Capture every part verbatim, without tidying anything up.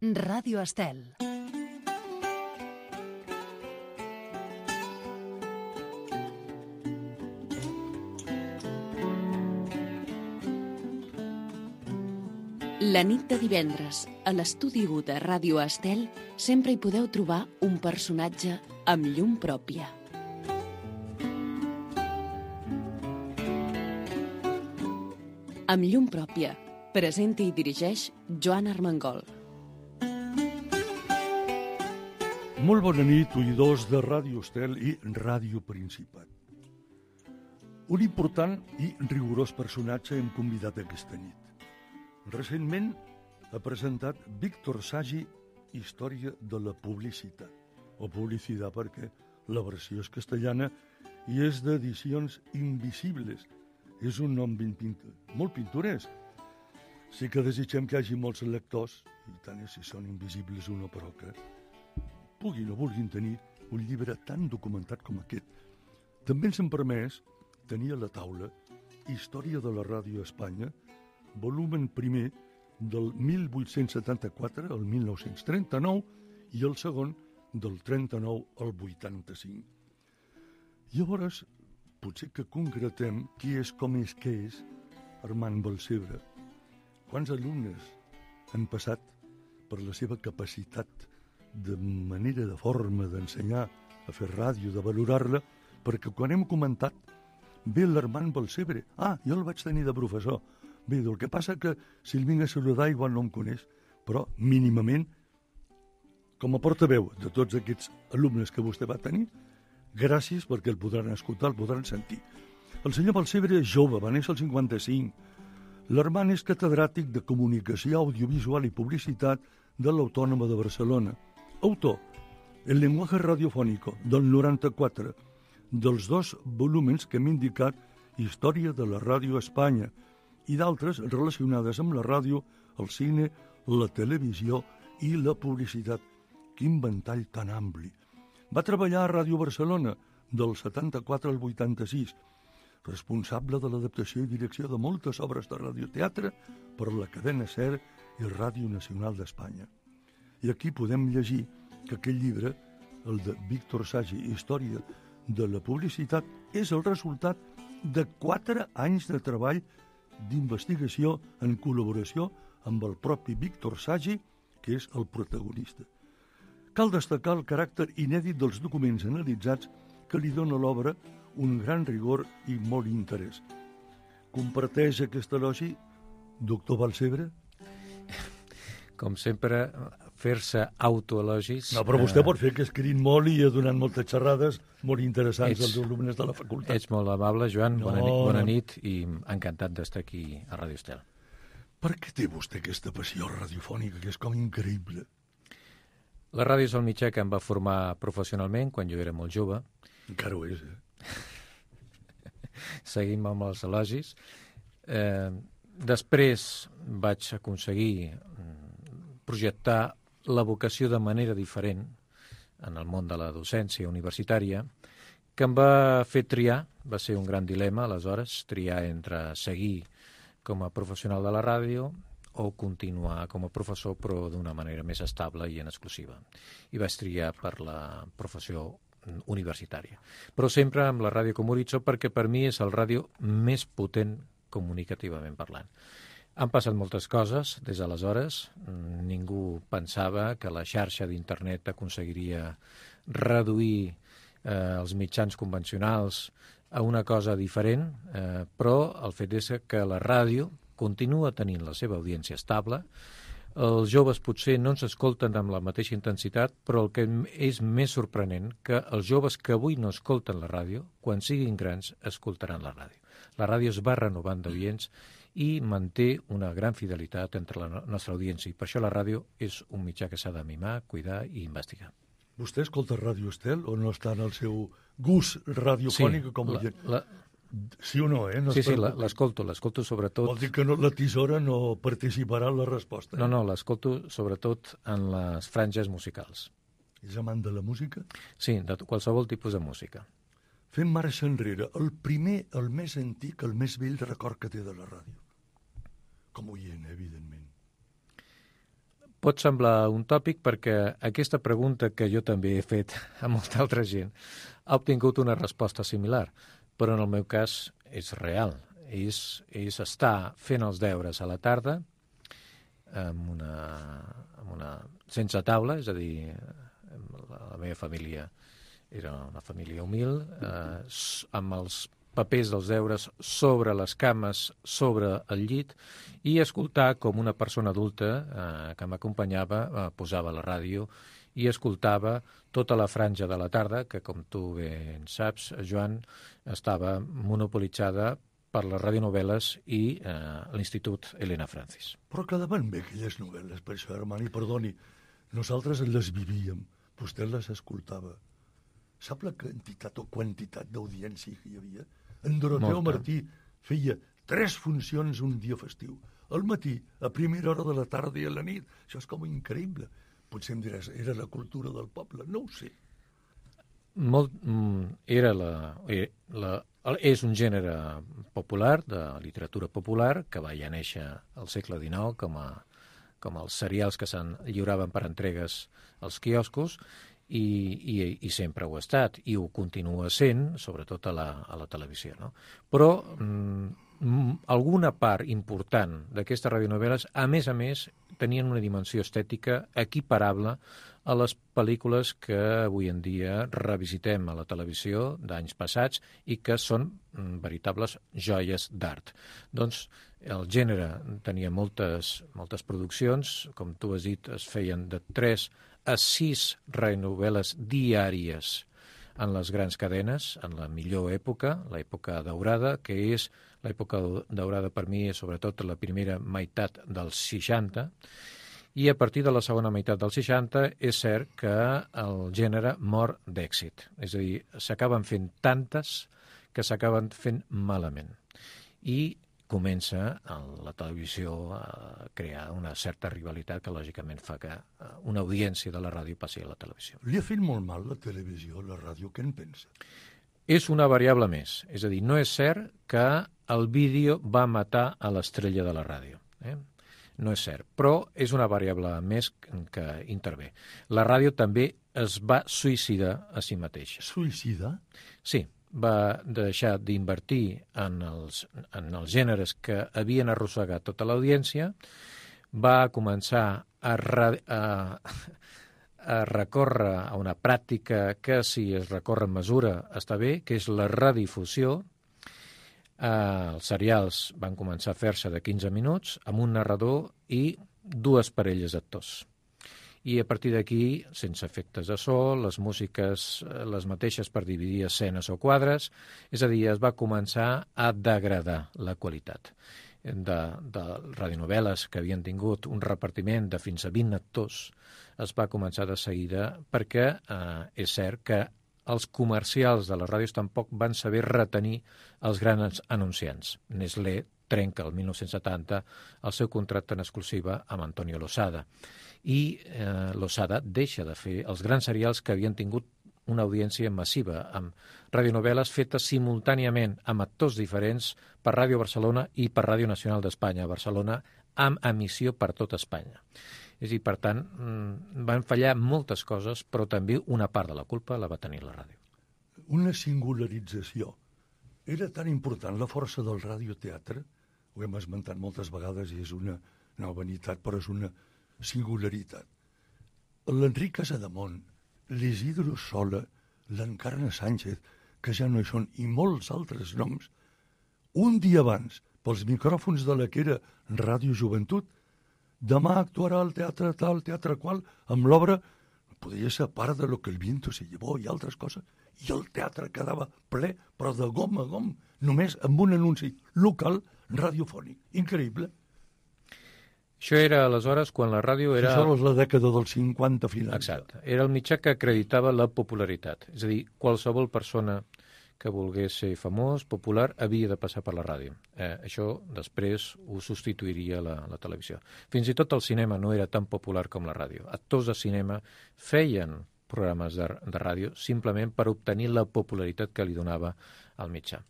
Ràdio Estel. La nit de divendres, a l'estudi u de Ràdio Estel, sempre hi podeu trobar un personatge amb llum pròpia. Amb llum pròpia, presenta i dirigeix Joan Armengol. Molt bona nit, oïdors de Ràdio Estel i Ràdio Principat. Un important i rigorós personatge hem convidat aquesta nit. Recentment ha presentat Víctor Sagi, Història de la publicitat, o publicitat perquè la versió és castellana i és d'edicions Invisibles. És un nom ben pintor, molt pintoresc. Sí que desitgem que hi hagi molts lectors, i tant és si són invisibles o no, però que puguin o vulguin tenir un llibre tan documentat com aquest. També ens hem permès tenir a la taula Història de la Ràdio a Espanya, volumen primer del mil vuit-cents setanta-quatre al mil nou-cents trenta-nou i el segon del trenta-nou al vuitanta-cinc. Llavors, potser que concretem qui és com és que és Armand Balcelbre. Quants alumnes han passat per la seva capacitat de manera, de forma d'ensenyar a fer ràdio, de valorar-la, perquè quan hem comentat ve l'Armand Balcelbre, ah, jo el vaig tenir de professor. Bé, el que passa que si el vinc a saludar igual no em coneix, però mínimament, com a portaveu de tots aquests alumnes que vostè va tenir, gràcies perquè el podran escoltar, el podran sentir. El senyor Balcelbre és jove, va néixer el cinquanta-cinc. L'Armand és catedràtic de Comunicació Audiovisual i Publicitat de l'Autònoma de Barcelona. Autor, El lenguaje radiofónico, del noranta-quatre, dels dos volúmens que hem indicat Història de la Ràdio a Espanya i d'altres relacionades amb la ràdio, el cine, la televisió i la publicitat. Quin ventall tan ampli. Va treballar a Ràdio Barcelona del setanta-quatre al vuitanta-sis, responsable de l'adaptació i direcció de moltes obres de radioteatre per la cadena SER i Ràdio Nacional d'Espanya. I aquí podem llegir que aquest llibre, el de Víctor Sagi, Història de la publicitat, és el resultat de quatre anys de treball d'investigació en col·laboració amb el propi Víctor Sagi, que és el protagonista. Cal destacar el caràcter inèdit dels documents analitzats que li dona l'obra un gran rigor i molt interès. Comparteix aquest elogi, doctor Balcelbre? Com sempre, fer-se autoelogis... No, però vostè pot fer que escrit molt i ha donat moltes xerrades molt interessants ets, als alumnes de la facultat. Ets molt amable, Joan. No, bona, nit, bona no. nit i encantat d'estar aquí a Ràdio Estel. Per què té vostè aquesta passió radiofònica que és com increïble? La ràdio és el mitjà que em va formar professionalment quan jo era molt jove. Encara ho és, eh? Seguim amb els elogis. Eh, després vaig aconseguir projectar la vocació de manera diferent en el món de la docència universitària, que em va fer triar, va ser un gran dilema aleshores, triar entre seguir com a professional de la ràdio o continuar com a professor però d'una manera més estable i en exclusiva. I vaig triar per la professió universitària. Però sempre amb la ràdio com horitzó perquè per mi és el ràdio més potent comunicativament parlant. Han passat moltes coses des d'aleshores. Ningú pensava que la xarxa d'internet aconseguiria reduir eh, els mitjans convencionals a una cosa diferent, eh, però el fet és que la ràdio continua tenint la seva audiència estable. Els joves potser no ens escolten amb la mateixa intensitat, però el que és més sorprenent que els joves que avui no escolten la ràdio, quan siguin grans, escoltaran la ràdio. La ràdio es va renovant d'audients i manté una gran fidelitat entre la nostra audiència. I per això la ràdio és un mitjà que s'ha de mimar, cuidar i investigar. Vostè escolta Ràdio Estel o no està en el seu gust radiofònic? Sí, com la, la... sí o no, eh? No sí, sí, l'escolto, l'escolto sobretot... Vol dir que no, la tisora no participarà en la resposta. Eh? No, no, l'escolto sobretot en les franges musicals. És amant de la música? Sí, de qualsevol tipus de música. Fem marxa enrere. El primer, el més antic, el més vell record que té de la ràdio. Com oient, evidentment. pot semblar un tòpic perquè aquesta pregunta que jo també he fet a molta altra gent ha obtingut una resposta similar, però en el meu cas és real. És, és estar fent els deures a la tarda amb una, amb una, sense taula, és a dir, la, la meva família era una família humil, eh, amb els papers dels deures sobre les cames, sobre el llit, i escoltar com una persona adulta eh, que m'acompanyava eh, posava la ràdio i escoltava tota la franja de la tarda, que com tu bé en saps, Joan, estava monopolitzada per les radionovel·les i eh, l'Institut Elena Francis. Però quedaven bé aquelles novel·les, per això, Armani, perdoni. Nosaltres les vivíem, vostè les escoltava. Sap la quantitat o quantitat d'audiència que hi havia? En Doroteu Martí feia tres funcions un dia festiu. Al matí, a primera hora de la tarda i a la nit. Això és com increïble. Potser em diràs, era la cultura del poble, no ho sé. Molt, era la, la, és un gènere popular, de literatura popular, que va ja néixer al segle dinou com, a, com els serials que se'n lliuraven per entregues als quioscos, i, i, i sempre ho ha estat, i ho continua sent, sobretot a la, a la televisió. No? Però mm, alguna part important d'aquestes radionovel·les, a més a més, tenien una dimensió estètica equiparable a les pel·lícules que avui en dia revisitem a la televisió d'anys passats i que són mm, veritables joies d'art. Doncs el gènere tenia moltes, moltes produccions, com tu has dit, es feien de tres a sis radionovel·les diàries en les grans cadenes, en la millor època, l'època daurada, que és l'època daurada per mi, sobretot la primera meitat dels seixanta, i a partir de la segona meitat dels seixanta és cert que el gènere mor d'èxit. És a dir, s'acaben fent tantes que s'acaben fent malament. I comença la televisió a crear una certa rivalitat que lògicament fa que una audiència de la ràdio passi a la televisió. Li ha fet molt mal la televisió, la ràdio, què en pensa? És una variable més. És a dir, no és cert que el vídeo va matar a l'estrella de la ràdio. Eh? No és cert, però és una variable més que intervé. La ràdio també es va suïcidar a si mateixa. Suïcidar? Sí. Va deixar d'invertir en els, en els gèneres que havien arrossegat tota l'audiència, va començar a, a, a recórrer a una pràctica que, si es recorre en mesura, està bé, que és la redifusió. Eh, els serials van començar a fer-se de quinze minuts, amb un narrador i dues parelles d'actors. I a partir d'aquí, sense efectes de so, les músiques les mateixes per dividir escenes o quadres, és a dir, es va començar a degradar la qualitat de, de radionovel·les que havien tingut un repartiment de fins a vint actors, es va començar de seguida perquè eh, és cert que els comercials de les ràdios tampoc van saber retenir els grans anunciants. Nestlé trenca el mil nou-cents setanta el seu contracte en exclusiva amb Antonio Losada. I eh, Losada deixa de fer els grans serials que havien tingut una audiència massiva, amb radionovel·les fetes simultàniament amb actors diferents per Ràdio Barcelona i per Ràdio Nacional d'Espanya a Barcelona, amb emissió per tot Espanya. És a dir, per tant, van fallar moltes coses, però també una part de la culpa la va tenir la ràdio. Una singularització. Era tan important la força del radioteatre, ho hem esmentat moltes vegades i és una nova vanitat, però és una singularitat. L'Enric Casademont, l'Isidro Sola, l'Encarna Sánchez, que ja no hi són, i molts altres noms, un dia abans, pels micròfons de la que era Ràdio Joventut, demà actuarà al teatre tal, teatre qual, amb l'obra, podria ser part de Lo que el viento se llevó i altres coses, i el teatre quedava ple, però de gom a gom, només amb un anunci local radiofònic. Increïble. Això era aleshores quan la ràdio era... Això és la dècada dels cinquanta finals. Exacte. Era el mitjà que acreditava la popularitat. És a dir, qualsevol persona que volgués ser famós, popular, havia de passar per la ràdio. Eh, això després ho substituiria la, la televisió. Fins i tot el cinema no era tan popular com la ràdio. Actors de cinema feien programes de, de ràdio simplement per obtenir la popularitat que li donava el mitjà.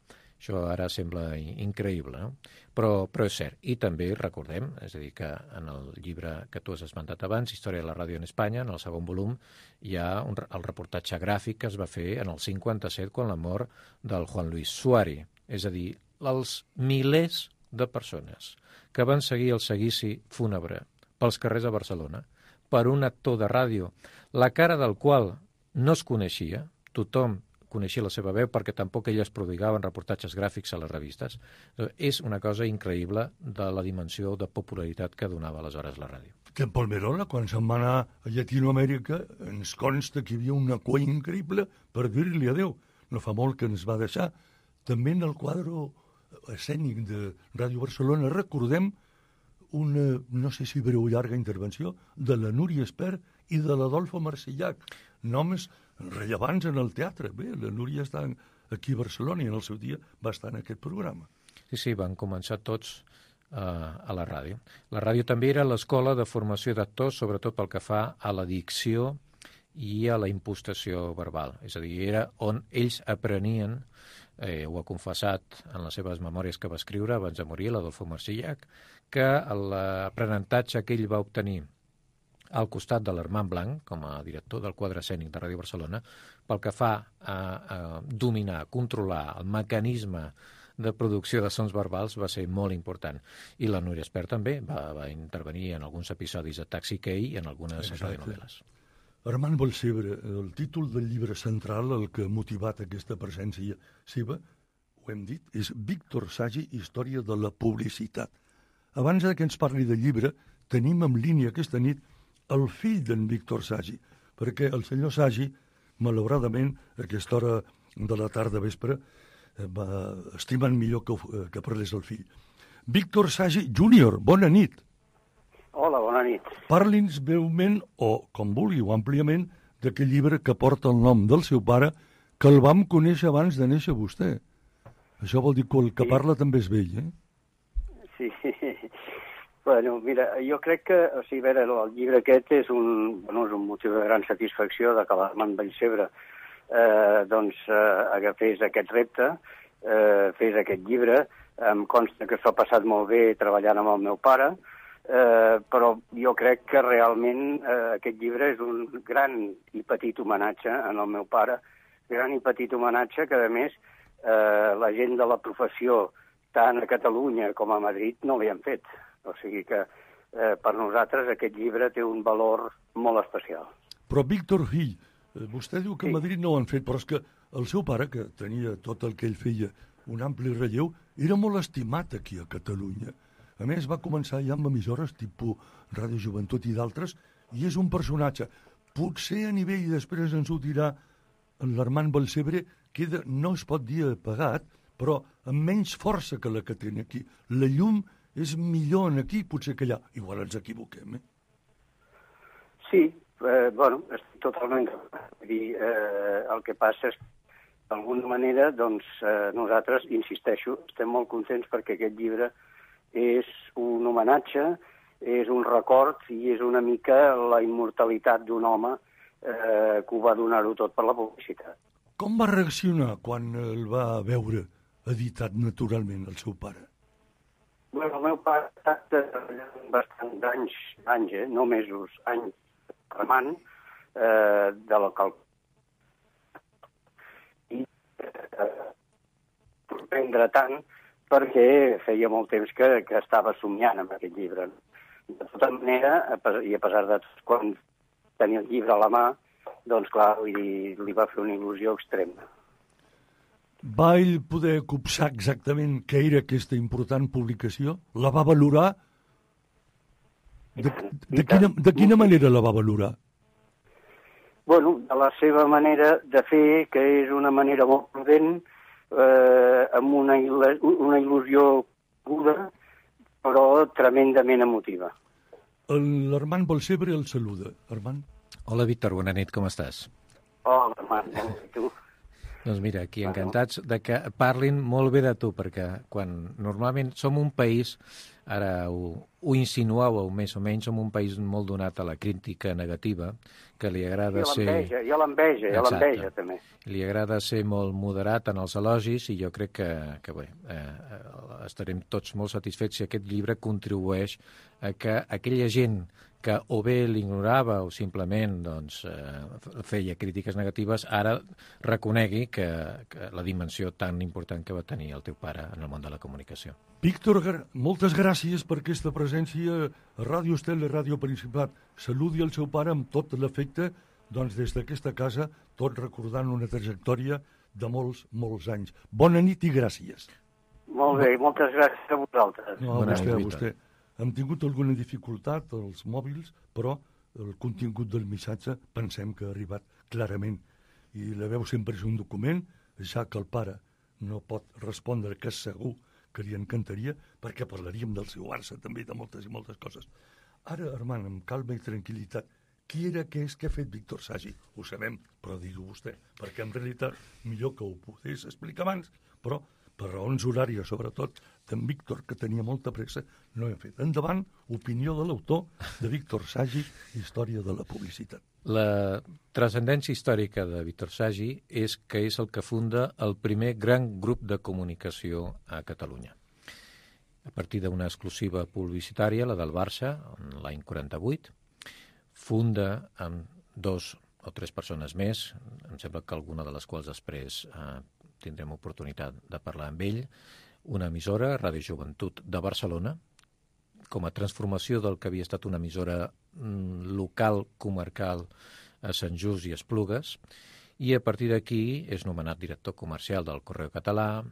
Això ara sembla increïble, no? Però, però és cert. I també recordem, és a dir, que en el llibre que tu has esmentat abans, Història de la ràdio en Espanya, en el segon volum, hi ha un, el reportatge gràfic que es va fer en el cinquanta-set quan la mort del Juan Luis Suari. És a dir, els milers de persones que van seguir el seguici fúnebre pels carrers de Barcelona per un actor de ràdio, la cara del qual no es coneixia, tothom coneixia la seva veu perquè tampoc elles prodigaven reportatges gràfics a les revistes. És una cosa increïble de la dimensió de popularitat que donava aleshores la ràdio. Que en Palmerola, quan se'n va anar a Llatinoamèrica, ens consta que hi havia una cua increïble per dir-li adéu. No fa molt que ens va deixar. També en el quadre escènic de Ràdio Barcelona recordem una, no sé si breu o llarga intervenció, de la Núria Espert i de l'Adolfo Marsillac, noms rellevants en el teatre. Bé, la Núria està aquí a Barcelona i en el seu dia va estar en aquest programa. Sí, sí, van començar tots uh, a la ràdio. La ràdio també era l'escola de formació d'actors, sobretot pel que fa a la dicció i a la impostació verbal. És a dir, era on ells aprenien, eh, ho ha confessat en les seves memòries que va escriure abans de morir, l'Adolfo Marsillac, que l'aprenentatge que ell va obtenir al costat de l'Armand Blanc, com a director del quadre escènic de Ràdio Barcelona, pel que fa a, a dominar, controlar el mecanisme de producció de sons verbals va ser molt important. I la Núria Espert també va, va intervenir en alguns episodis de Taxi Key i en algunes radionovel·les. Armand Balsebre, el títol del llibre central, el que ha motivat aquesta presència seva, ho hem dit, és Víctor Sagi, Història de la publicitat. Abans que ens parli del llibre, tenim en línia aquesta nit el fill d'en Víctor Sagi, perquè el senyor Sagi, malauradament, a aquesta hora de la tarda vespre, va estimant millor que, que parlés el fill. Víctor Sagi júnior, bona nit. Hola, bona nit. Parli'ns breument, o com vulguiu, àmpliament, d'aquest llibre que porta el nom del seu pare, que el vam conèixer abans de néixer vostè. Això vol dir que el que sí. Parla també és vell, eh? Sí, bueno, mira, jo crec que, o sigui, veure, el llibre aquest és un, bueno, és un motiu de gran satisfacció de que l'Armand Balsebre eh, doncs, eh, agafés aquest repte, eh, fes aquest llibre. Em consta que s'ho ha passat molt bé treballant amb el meu pare, eh, però jo crec que realment eh, aquest llibre és un gran i petit homenatge en el meu pare, gran i petit homenatge que, a més, eh, la gent de la professió, tant a Catalunya com a Madrid, no li han fet. O sigui que eh, per nosaltres aquest llibre té un valor molt especial. Però, Víctor, fill, vostè diu que sí. a Madrid no ho han fet, però és que el seu pare, que tenia tot el que ell feia, un ampli relleu, era molt estimat aquí a Catalunya. A més, va començar ja amb emissores tipus Ràdio Joventut i d'altres, i és un personatge. Potser a nivell, i després ens ho dirà l'Armand Balsebre, queda, no es pot dir apagat, però amb menys força que la que té aquí. La llum és millor aquí, potser que allà. Igual ens equivoquem, eh? Sí, eh, bueno, estic totalment... Dir, eh, el que passa és que, d'alguna manera, doncs, eh, nosaltres, insisteixo, estem molt contents perquè aquest llibre és un homenatge, és un record i és una mica la immortalitat d'un home eh, que ho va donar-ho tot per la publicitat. Com va reaccionar quan el va veure editat naturalment el seu pare? Bueno, el meu pare ha estat bastant anys, anys eh? no mesos, anys, remant eh, de la cal... I eh, sorprendre tant perquè feia molt temps que, que estava somiant amb aquest llibre. De tota manera, i a pesar de tot, quan tenia el llibre a la mà, doncs clar, li, li va fer una il·lusió extrema. Va ell poder copsar exactament què era aquesta important publicació? La va valorar? De, de, quina, de quina manera la va valorar? Bueno, de la seva manera de fer, que és una manera molt prudent, eh, amb una, una il·lusió aguda, però tremendament emotiva. L'Armand Balsebre el saluda. Armand? Hola, Víctor, bona nit, com estàs? Hola, Armand, i tu? Doncs mira, aquí encantats de que parlin molt bé de tu, perquè quan normalment som un país ara ho, ho insinuàveu més o menys, som un país molt donat a la crítica negativa, que li agrada I ser... l'enveja, i l'enveja, i l'enveja també. Li agrada ser molt moderat en els elogis i jo crec que, que bé, eh, estarem tots molt satisfets si aquest llibre contribueix a que aquella gent que o bé l'ignorava o simplement doncs, eh, feia crítiques negatives, ara reconegui que, que la dimensió tan important que va tenir el teu pare en el món de la comunicació. Víctor, moltes gràcies per aquesta presència a Ràdio Estel i Ràdio Principat. Saludi el seu pare amb tot l'afecte, doncs des d'aquesta casa, tot recordant una trajectòria de molts, molts anys. Bona nit i gràcies. Molt bé, moltes gràcies a vosaltres. No, a vostè, a vostè. Hem tingut alguna dificultat als mòbils, però el contingut del missatge pensem que ha arribat clarament. I la veu sempre és un document, ja que el pare no pot respondre, que és segur que li encantaria, perquè parlaríem del seu Barça, també de moltes i moltes coses. Ara, Armand, amb calma i tranquil·litat, qui era, què és, què ha fet Víctor Sagi? Ho sabem, però digui vostè, perquè en realitat millor que ho pogués explicar abans, però per raons horàries, sobretot, d'en Víctor, que tenia molta pressa, no hem fet. Endavant, opinió de l'autor de Víctor Sagi, Història de la publicitat. La transcendència històrica de Víctor Sagi és que és el que funda el primer gran grup de comunicació a Catalunya. A partir d'una exclusiva publicitària, la del Barça, l'any quaranta-vuit, funda amb dos o tres persones més, em sembla que alguna de les quals després eh, tindrem oportunitat de parlar amb ell, una emissora, Ràdio Joventut de Barcelona, com a transformació del que havia estat una emissora mm, local, comarcal, a Sant Just i Esplugues, i a partir d'aquí és nomenat director comercial del Correu Català,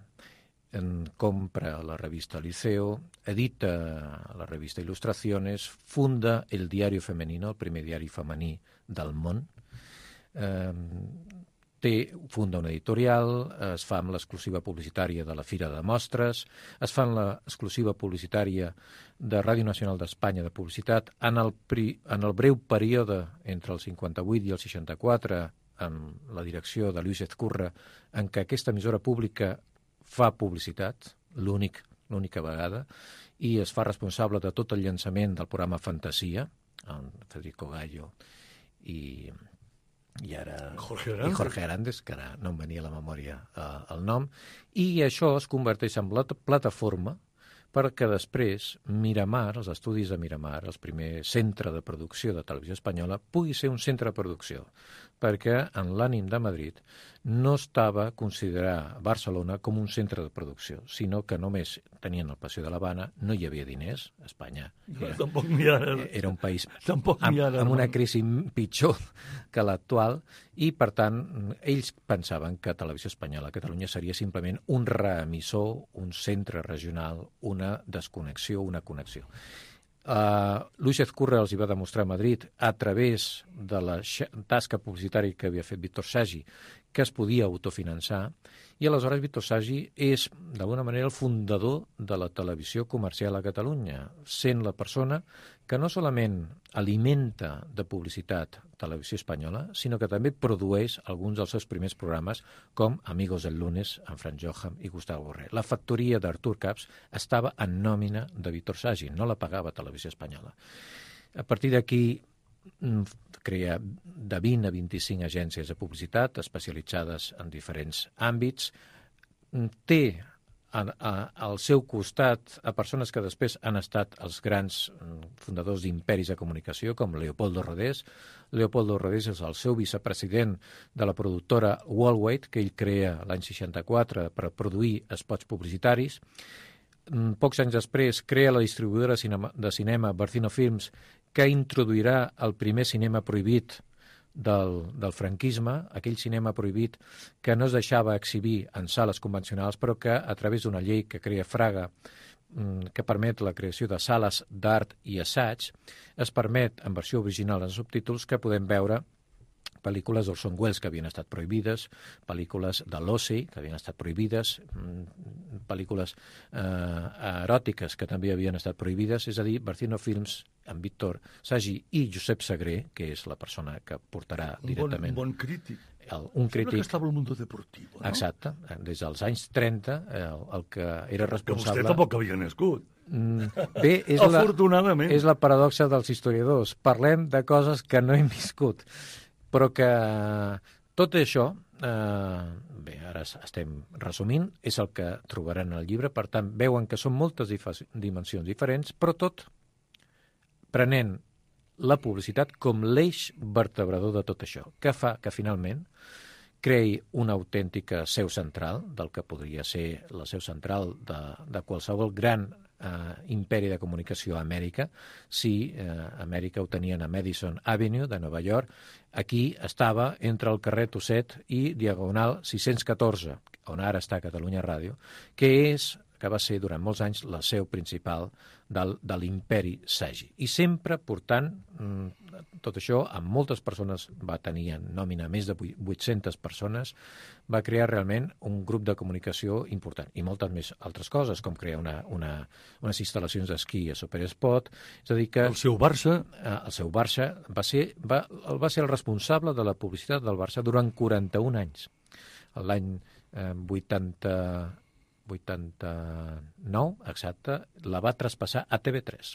en compra la revista Liceo, edita la revista Ilustraciones, funda el Diario Femenino, el primer diari femení del món, eh, té, funda una editorial, es fa amb l'exclusiva publicitària de la Fira de Mostres, es fa amb l'exclusiva publicitària de Ràdio Nacional d'Espanya de Publicitat, en el, pri, en el breu període entre el cinquanta-vuit i el seixanta-quatre, amb la direcció de Lluís Ezcurra, en què aquesta emissora pública fa publicitat, l'únic, l'única vegada, i es fa responsable de tot el llançament del programa Fantasia, amb Federico Gallo i... i ara Jorge i Jorge Arandes, que ara no em venia a la memòria eh, el nom, i això es converteix en plat plataforma perquè després Miramar, els estudis de Miramar, el primer centre de producció de televisió espanyola, pugui ser un centre de producció, perquè en l'ànim de Madrid no estava considerar Barcelona com un centre de producció, sinó que només tenien el Passeig de l'Havana, no hi havia diners, Espanya era, Tampoc n'hi ha ara. era un país Tampoc amb, n'hi ha ara, amb una Armand. crisi pitjor que l'actual, i per tant ells pensaven que Televisió Espanyola a Catalunya seria simplement un reemissor, un centre regional, una desconnexió, una connexió. Uh, Lluís Ezcurra els hi va demostrar a Madrid, a través de la tasca publicitària que havia fet Víctor Sagi, que es podia autofinançar, i aleshores Víctor Sagi és, d'alguna manera, el fundador de la televisió comercial a Catalunya, sent la persona que no solament alimenta de publicitat Televisió Espanyola, sinó que també produeix alguns dels seus primers programes, com Amigos del Lunes, amb Fran Johan i Gustavo Borrell. La factoria d'Artur Caps estava en nòmina de Víctor Sagi, no la pagava Televisió Espanyola. A partir d'aquí crea de vint a vint-i-cinc agències de publicitat especialitzades en diferents àmbits, té a, a, al seu costat a persones que després han estat els grans fundadors d'imperis de comunicació, com Leopoldo Rodés. Leopoldo Rodés és el seu vicepresident de la productora Worldwide, que ell crea l'any seixanta-quatre per produir spots publicitaris. Pocs anys després crea la distribuïdora de cinema Barcino Films, que introduirà el primer cinema prohibit del, del franquisme, aquell cinema prohibit que no es deixava exhibir en sales convencionals, però que a través d'una llei que crea Fraga, que permet la creació de sales d'art i assaig, es permet, en versió original en subtítols, que podem veure pel·lícules d'Orson Welles que havien estat prohibides, pel·lícules de l'Ossi que havien estat prohibides, pel·lícules eh, eròtiques que també havien estat prohibides, és a dir, Barcino Films, amb Víctor Sagi i Josep Sagré, que és la persona que portarà directament... Un bon, bon crític. El, un crític... Sembla que estava al Mundo Deportivo, no? Exacte. Des dels anys trenta, el, el que era responsable... Que vostè tampoc havia nascut. Bé, és la, afortunadament. és la paradoxa dels historiadors. Parlem de coses que no hem viscut, però que tot això, eh, bé, ara estem resumint, és el que trobaran al llibre, per tant, veuen que són moltes dimensions diferents, però tot prenent la publicitat com l'eix vertebrador de tot això, que fa que finalment creï una autèntica seu central del que podria ser la seu central de, de qualsevol gran eh, imperi de comunicació a Amèrica. Si eh, Amèrica ho tenien a Madison Avenue de Nova York, aquí estava entre el carrer Tusset i Diagonal sis-cents catorze, on ara està Catalunya Ràdio, que és que va ser durant molts anys la seu principal del, de l'imperi Sagi. I sempre portant tot això, amb moltes persones, va tenir en nòmina més de vuit-centes persones, va crear realment un grup de comunicació important. I moltes més altres coses, com crear una, una, unes instal·lacions d'esquí a Superspot. És a dir que... El seu Barça... El seu Barça va ser, va, va ser el responsable de la publicitat del Barça durant quaranta-un anys. L'any eh, vuitanta... vuitanta-nou, exacte, la va traspassar a T V tres.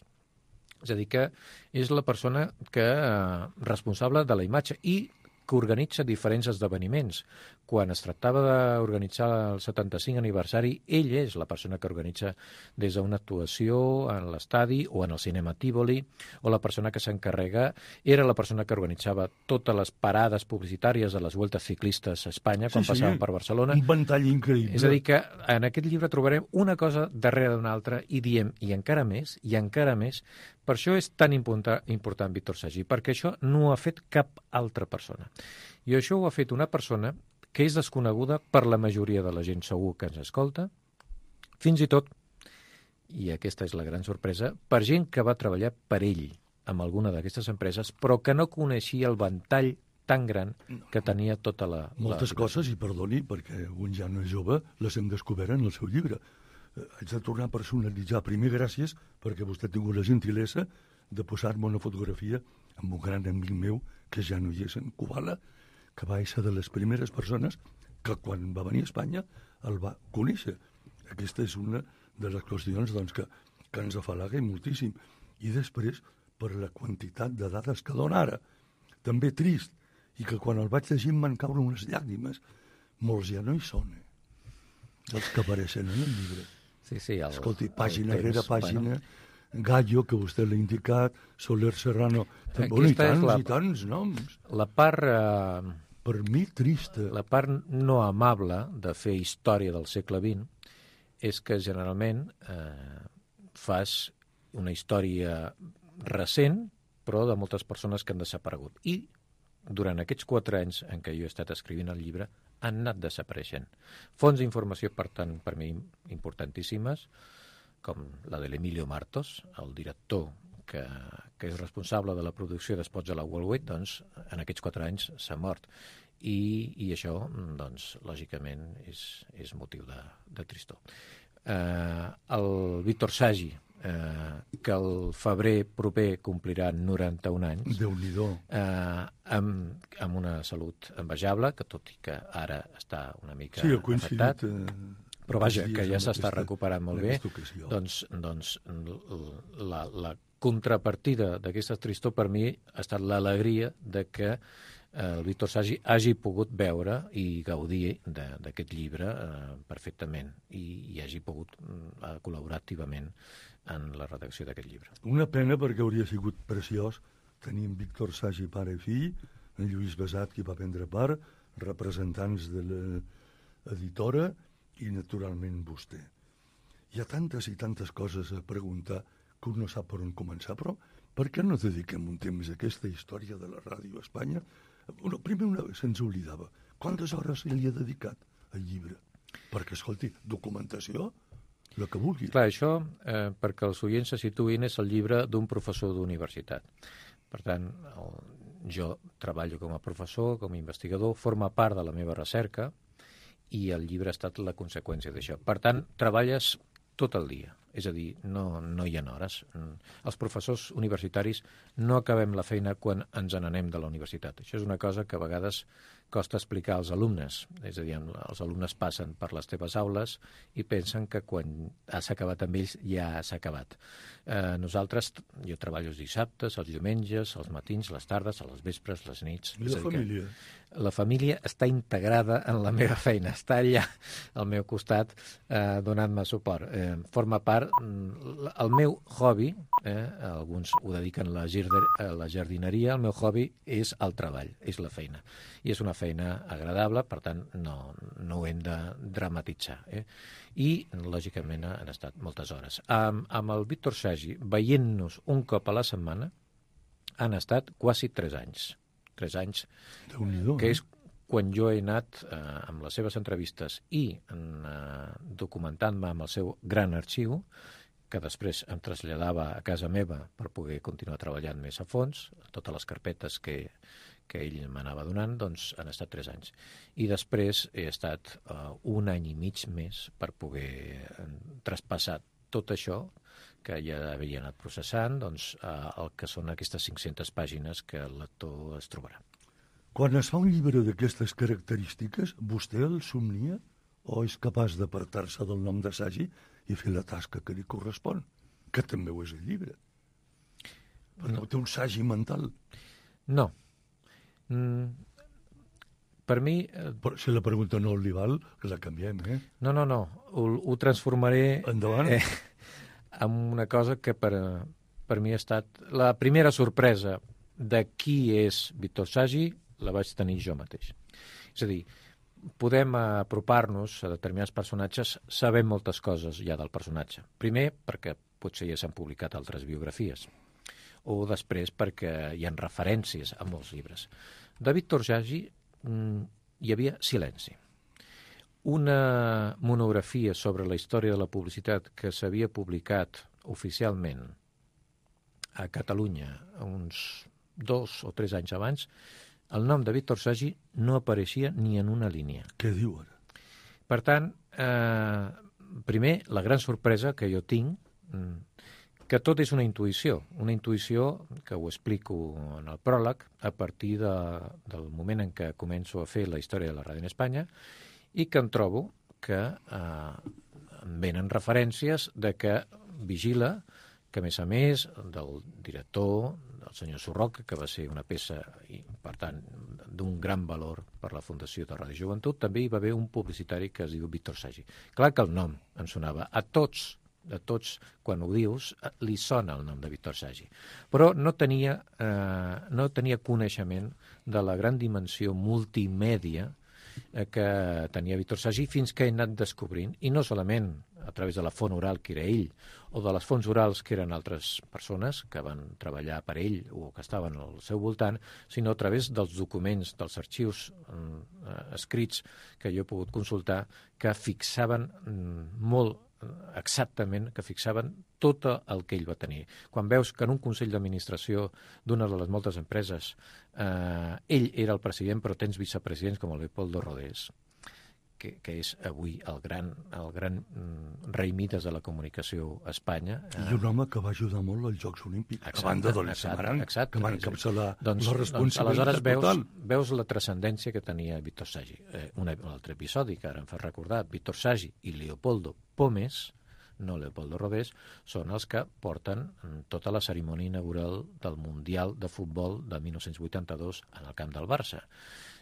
És a dir, que és la persona que eh, responsable de la imatge i que organitza diferents esdeveniments. Quan es tractava d'organitzar el setanta-cinc aniversari, ell és la persona que organitza des d'una actuació en l'estadi o en el cinema Tívoli, o la persona que s'encarrega, era la persona que organitzava totes les parades publicitàries de les Vueltes Ciclistes a Espanya, quan sí, sí, passaven per Barcelona. Un ventall increïble. És a dir, que en aquest llibre trobarem una cosa darrere d'una altra i diem, i encara més, i encara més. Per això és tan important, important Víctor Sagi, perquè això no ho ha fet cap altra persona. I això ho ha fet una persona que és desconeguda per la majoria de la gent segur que ens escolta, fins i tot, i aquesta és la gran sorpresa, per gent que va treballar per ell amb alguna d'aquestes empreses, però que no coneixia el ventall tan gran que tenia tota la... Moltes la... coses, i perdoni, perquè un ja no és jove, les hem descobert en el seu llibre. Haig de tornar a personalitzar. Primer, gràcies, perquè vostè ha tingut la gentilesa de posar-me una fotografia amb un gran amic meu, que ja no hi és, en Kubala, que va ser de les primeres persones que quan va venir a Espanya el va conèixer. Aquesta és una de les qüestions doncs, que, que ens afalaga moltíssim. I després, per la quantitat de dades que dona ara, també trist, i que quan el vaig llegir em van caure unes llàgrimes. Molts ja no hi són, eh? Els que apareixen en el llibre. Sí, sí, el, Escolti, pàgina el temps, rere pàgina, bueno. Gallo, que vostè l'ha indicat, Soler Serrano, bueno, i tants la, i tants noms. La part... Eh, per mi, trista. La part no amable de fer història del segle vint és que generalment eh, fas una història recent, però de moltes persones que han desaparegut. I durant aquests quatre anys en què jo he estat escrivint el llibre han anat desapareixent. Fonts d'informació, per tant, per mi importantíssimes, com la de l'Emilio Martos, el director que, que és responsable de la producció d'espots de la Worldwide, doncs, en aquests quatre anys s'ha mort. I, i això, doncs, lògicament, és, és motiu de, de tristor. Eh, el Víctor Sagi, eh, que el febrer proper complirà noranta-un anys, Déu-n'hi-do. Eh, amb, amb una salut envejable, que tot i que ara està una mica sí, afectat, eh, però vaja, que ja s'està recuperant molt bé, ocasió. doncs, doncs la, la contrapartida d'aquesta tristor per mi ha estat l'alegria de que el Víctor Sagi hagi pogut veure i gaudir d'aquest llibre eh, perfectament i, i hagi pogut eh, col·laborar activament en la redacció d'aquest llibre. Una pena, perquè hauria sigut preciós tenir en Víctor Sagi pare i fill, en Lluís Besat, qui va prendre part, representants de l'editora i, naturalment, vostè. Hi ha tantes i tantes coses a preguntar que un no sap per on començar, però per què no dediquem un temps a aquesta història de la ràdio a Espanya? Bueno, primer una vegada se'ns oblidava. Quantes hores se li ha dedicat al llibre? Perquè, escolti, documentació, el que vulgui. Clar, això, eh, perquè els oients se situïn, és el llibre d'un professor d'universitat. Per tant, el, jo treballo com a professor, com a investigador, forma part de la meva recerca i el llibre ha estat la conseqüència d'això. Per tant, treballes tot el dia. És a dir, no, no hi ha hores. Els professors universitaris no acabem la feina quan ens n'anem de la universitat. Això és una cosa que a vegades costa explicar als alumnes. És a dir, els alumnes passen per les teves aules i pensen que quan has acabat amb ells ja s'ha acabat. Eh, nosaltres, jo treballo els dissabtes, els diumenges, els matins, les tardes, a les vespres, les nits. I la família? La família està integrada en la meva feina, està allà al meu costat eh, donant-me suport. Eh, forma part, el meu hobby, eh, alguns ho dediquen a la, a la jardineria, el meu hobby és el treball, és la feina. I és una feina agradable, per tant, no, no ho hem de dramatitzar. Eh? I, lògicament, han estat moltes hores. Amb, amb el Víctor Sagi, veient-nos un cop a la setmana, han estat quasi tres anys. Tres anys, que és quan jo he anat eh, amb les seves entrevistes i eh, documentant-me amb el seu gran arxiu, que després em traslladava a casa meva per poder continuar treballant més a fons, totes les carpetes que, que ell m'anava donant, doncs han estat tres anys. I després he estat eh, un any i mig més per poder eh, traspassar tot això que ja havia anat processant, doncs, eh, el que són aquestes cinc-centes pàgines que el lector es trobarà. Quan es fa un llibre d'aquestes característiques, vostè el somnia o és capaç d'apartar-se del nom de Sagi i fer la tasca que li correspon? Que també ho és el llibre. Perquè no. Té un Sagi mental. No. Mm, per mi... Eh... Però si la pregunta no li val, que la canviem, eh? No, no, no. Ho, ho transformaré... Endavant. Eh, amb una cosa que per, per mi ha estat... La primera sorpresa de qui és Víctor Sagi la vaig tenir jo mateix. És a dir, podem apropar-nos a determinats personatges sabent moltes coses ja del personatge. Primer, perquè potser ja s'han publicat altres biografies, o després perquè hi ha referències a molts llibres. De Víctor Sagi hi havia silenci. Una monografia sobre la història de la publicitat que s'havia publicat oficialment a Catalunya uns dos o tres anys abans, el nom de Víctor Sagi no apareixia ni en una línia. Què diu ara? Per tant, eh, primer, la gran sorpresa que jo tinc, que tot és una intuïció, una intuïció que ho explico en el pròleg a partir de, del moment en què començo a fer la història de la ràdio en Espanya, i que em trobo que eh, em venen referències de que vigila, que a més a més del director, del senyor Surroca, que va ser una peça, i, per tant, d'un gran valor per la Fundació de Ràdio Joventut, també hi va haver un publicitari que es diu Víctor Sagi. Clar que el nom em sonava. A tots, a tots, quan ho dius, li sona el nom de Víctor Sagi. Però no tenia, eh, no tenia coneixement de la gran dimensió multimèdia que tenia Víctor Sagi fins que he anat descobrint, i no solament a través de la font oral que era ell o de les fonts orals que eren altres persones que van treballar per ell o que estaven al seu voltant, sinó a través dels documents, dels arxius eh, escrits que jo he pogut consultar, que fixaven mm, molt exactament, que fixaven tot el que ell va tenir. Quan veus que en un consell d'administració d'una de les moltes empreses eh, ell era el president, però tens vicepresidents com el Leopoldo Rodés, que, que és avui el gran, el gran mm, rei Mides de la comunicació a Espanya. Eh? I un home que va ajudar molt als Jocs Olímpics, exacte, a banda del Samaranc, que va encapçalar doncs, la responsabilitat doncs, aleshores total. Veus, veus la transcendència que tenia Víctor Sagi. Eh, un, un altre episodi que ara em fa recordar, Víctor Sagi i Leopoldo Pomes, no Leopoldo Rodés, són els que porten tota la cerimònia inaugural del Mundial de Futbol de mil nou-cents vuitanta-dos en el camp del Barça,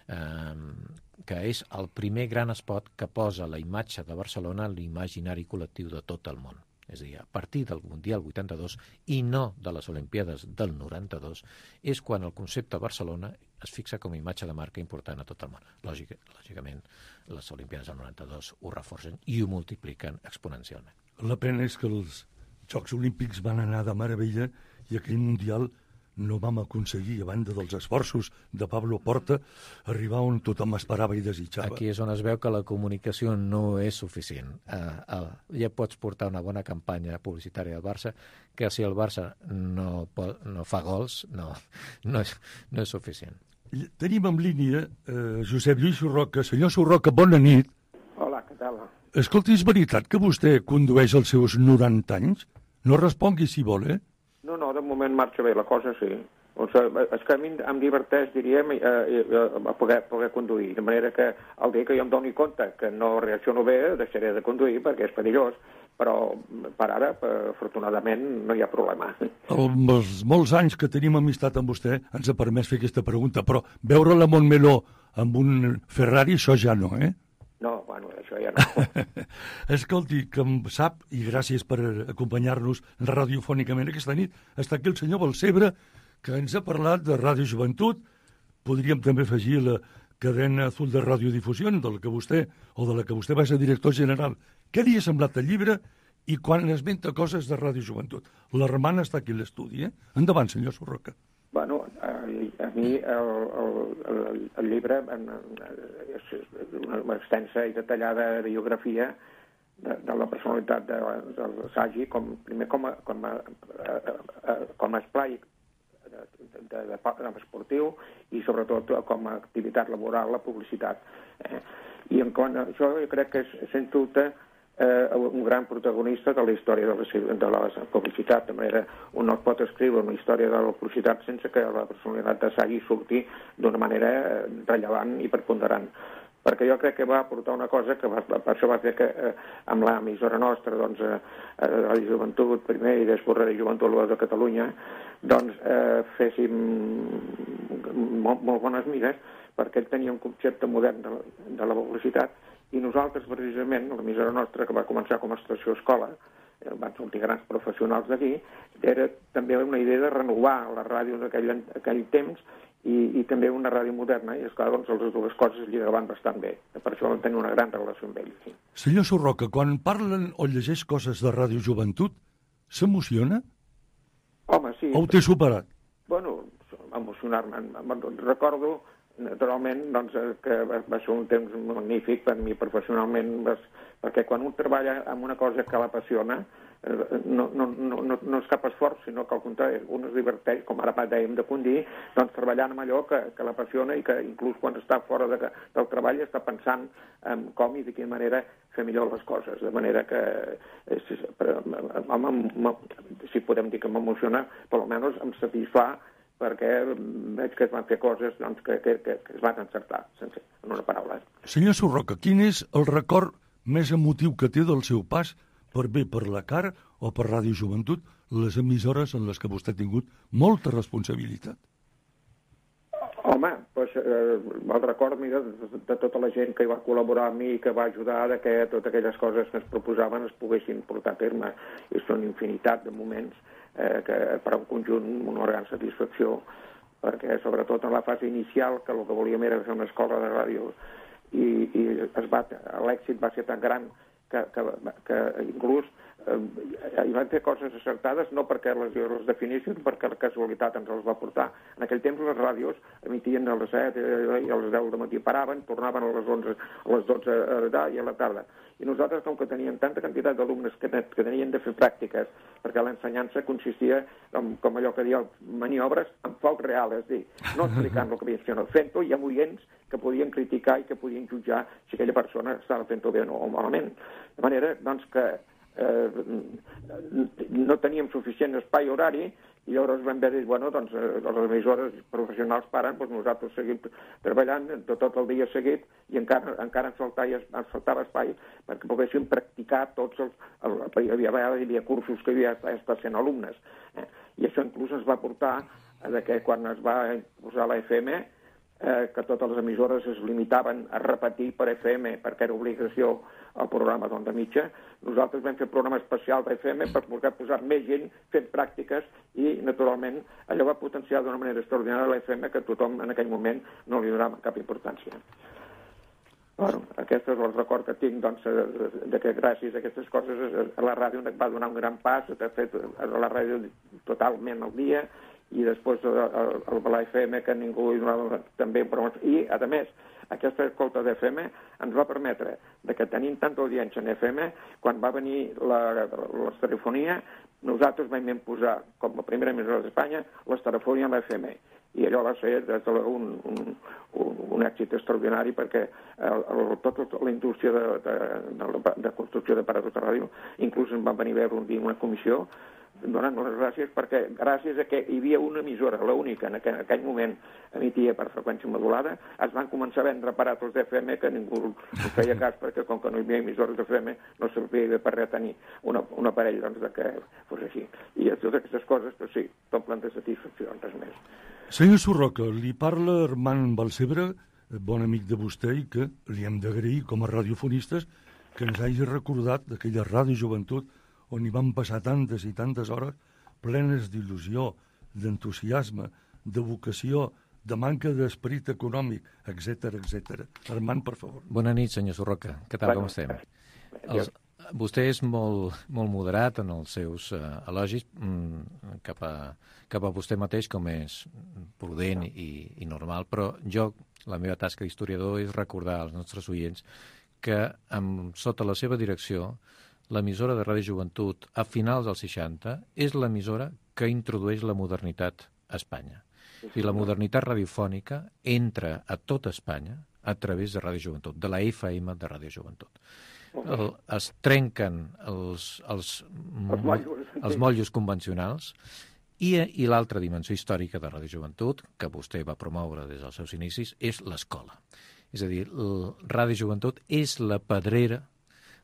eh, que és el primer gran espot que posa la imatge de Barcelona en l'imaginari col·lectiu de tot el món. És a dir, a partir del Mundial vuitanta-dos i no de les Olimpiades del noranta-dos, és quan el concepte Barcelona es fixa com a imatge de marca important a tot el món. Lògic, lògicament, les Olimpiades del noranta-dos ho reforcen i ho multipliquen exponencialment. La pena és que els Jocs Olímpics van anar de meravella i aquell Mundial no vam aconseguir, a banda dels esforços de Pablo Porta, arribar on tothom esperava i desitjava. Aquí és on es veu que la comunicació no és suficient. Uh, uh, ja pots portar una bona campanya publicitària del Barça, que si el Barça no, pot, no fa gols, no, no, és, no és suficient. Tenim en línia eh, Josep Lluís Surroca. Senyor Surroca, bona nit. Hola, què tal? Escolti, és veritat que vostè condueix als seus noranta anys? No respongui si vol, eh? No, no, de moment marxa bé la cosa, sí. Doncs, és que a mi em diverteix, diríem, eh, eh, poder, poder conduir, de manera que el dia que jo em doni compte que no reacciono bé, deixaré de conduir perquè és perillós, però per ara, afortunadament, no hi ha problema. Els molts anys que tenim amistat amb vostè ens ha permès fer aquesta pregunta, però veure la Montmeló amb un Ferrari, això ja no, eh? No, bueno, això ja no. Escolti, que em sap, i gràcies per acompanyar-nos radiofònicament aquesta nit, està aquí el senyor Balcebre, que ens ha parlat de Ràdio Joventut. Podríem també afegir la cadena Azul de Radiodifusió, de la que vostè, o de la que vostè va ser director general. Què li ha semblat el llibre i quan esmenta coses de Ràdio Joventut? La Romana està aquí a l'estudi, eh? Endavant, senyor Surroca. Bueno, a, a mi el, el, el, el llibre és una extensa i detallada biografia de, de la personalitat de, del Sagi, com, primer com a, com a, a, a, com a esplai de, de, de, de esportiu i sobretot com a activitat laboral, la publicitat. Eh? I en quant a això jo crec que és, sens dubte, eh, un gran protagonista de la història de la, de la publicitat. De manera, un no pot escriure una història de la publicitat sense que la personalitat de Sagi surti d'una manera rellevant i preponderant. Perquè jo crec que va aportar una cosa que va, per això va fer que eh, amb l'emissora nostra, doncs, eh, Ràdio Joventut primer i després Ràdio Joventut de Catalunya, doncs eh, féssim molt, molt bones mires, perquè ell tenia un concepte modern de, de la publicitat, i nosaltres, precisament, l'emissora nostra, que va començar com a estació escola, eh, van sortir grans professionals d'aquí, era també una idea de renovar la ràdio en aquell, aquell temps, i, i també una ràdio moderna, i esclar, doncs les dues coses lligaven bastant bé. Per això vam tenir una gran relació amb ell. Sí. Senyor Surroca, quan parlen o llegeix coses de Ràdio Joventut, s'emociona? Home, sí. O ho té superat? Bueno, emocionar-me. Recordo, naturalment, doncs, que va ser un temps magnífic per mi professionalment, perquè quan un treballa en una cosa que l'apassiona, no, no, no, no és cap esforç, sinó que al contrari, un es diverteix, com ara dèiem de condir, doncs treballant amb allò que, que l'apassiona i que inclús quan està fora de, del treball està pensant en com i de quina manera fer millor les coses. De manera que, si, home, si podem dir que m'emociona, per almenys em satisfà, perquè veig que es van fer coses doncs, que, que, que, que es van encertar, sense, en una paraula. Senyor Surroca, quin és el record més emotiu que té del seu pas per bé per la C A R o per Ràdio Joventut, les emissores en les que vostè ha tingut molta responsabilitat? Home, doncs, eh, el record, mira, de, de tota la gent que hi va col·laborar amb mi i que va ajudar a que totes aquelles coses que es proposaven es poguessin portar a terme. I són infinitat de moments eh, que per a un conjunt una gran satisfacció, perquè sobretot en la fase inicial, que el que volíem era fer una escola de ràdio, i, i es va, l'èxit va ser tan gran que, que, que inclús eh, hi van fer coses acertades, no perquè les, les definissin, perquè la casualitat ens els va portar. En aquell temps les ràdios emitien a les set i a les deu del matí paraven, tornaven a les onze, a les dotze i a la tarda. I nosaltres, com que teníem tanta quantitat d'alumnes que, que tenien de fer pràctiques, perquè l'ensenyança consistia, en, com allò que diuen, maniobres en foc real, és a dir, no explicant el que havien fet, sinó fent-ho i amb oients que podien criticar i que podien jutjar si aquella persona estava fent-ho bé o malament. De manera, doncs, que eh, no teníem suficient espai horari i llavors vam haver de dir, bueno, doncs, les emissores professionals paren, doncs nosaltres seguim treballant tot, tot el dia seguit i encara, encara ens, faltava, ens faltava espai perquè poguéssim practicar tots els... El, hi, havia, hi havia cursos que havia estat sent alumnes. Eh? I això inclús ens va portar a que quan es va posar la F M, eh, que totes les emissores es limitaven a repetir per F M perquè era obligació el programa d'Onda Mitja. Nosaltres vam fer un programa especial d'F M per poder posar més gent fent pràctiques i, naturalment, allò va potenciar d'una manera extraordinària l'F M que tothom en aquell moment no li donava cap importància. Bueno, aquest és el record que tinc, doncs, de que gràcies a aquestes coses la ràdio va donar un gran pas, de fet, la ràdio totalment al dia, i després la F M que ningú hi donava també, i, a més, aquesta escolta d'F M ens va permetre de que tenint tanta audiència en F M, quan va venir la, la telefonia, nosaltres vam posar, com a primera emissora d'Espanya, l'estereofonia en l'F M. I allò va ser un, un, un, un èxit extraordinari perquè el, el, tota la indústria de, de, de, de construcció d'aparats de ràdio, inclús ens van venir a veure un dia una comissió donant les gràcies perquè gràcies a que hi havia una emissora, l'única en aquell, en aquell moment emitia per freqüència modulada, es van començar a vendre aparatos d'F M que ningú no feia cas perquè com que no hi havia emissores d'F M no servia per res tenir una, un aparell doncs, de que fos així. I totes aquestes coses, doncs sí, t'omplen de satisfacció, res més. Senyor Surroca, li parla Armand Balcebre, bon amic de vostè, i que li hem d'agrair com a radiofonistes que ens hagi recordat d'aquella Ràdio Joventut on hi van passar tantes i tantes hores plenes d'il·lusió, d'entusiasme, de vocació, de manca d'esperit econòmic, etcètera, etcètera. Armand, per favor. Bona nit, senyor Surroca. Què tal, com estem? Els, vostè és molt, molt moderat en els seus uh, elogis mm, cap, a, cap a vostè mateix, com és prudent i, i normal, però jo, la meva tasca d'historiador és recordar als nostres oients que amb, sota la seva direcció l'emissora de Ràdio Joventut a finals dels seixanta és l'emissora que introdueix la modernitat a Espanya. I la modernitat radiofònica entra a tota Espanya a través de Ràdio Joventut, de la F M de Ràdio Joventut. El, es trenquen els, els, els, mollos, els mollos convencionals i, i l'altra dimensió històrica de Ràdio Joventut, que vostè va promoure des dels seus inicis, és l'escola. És a dir, el Ràdio Joventut és la pedrera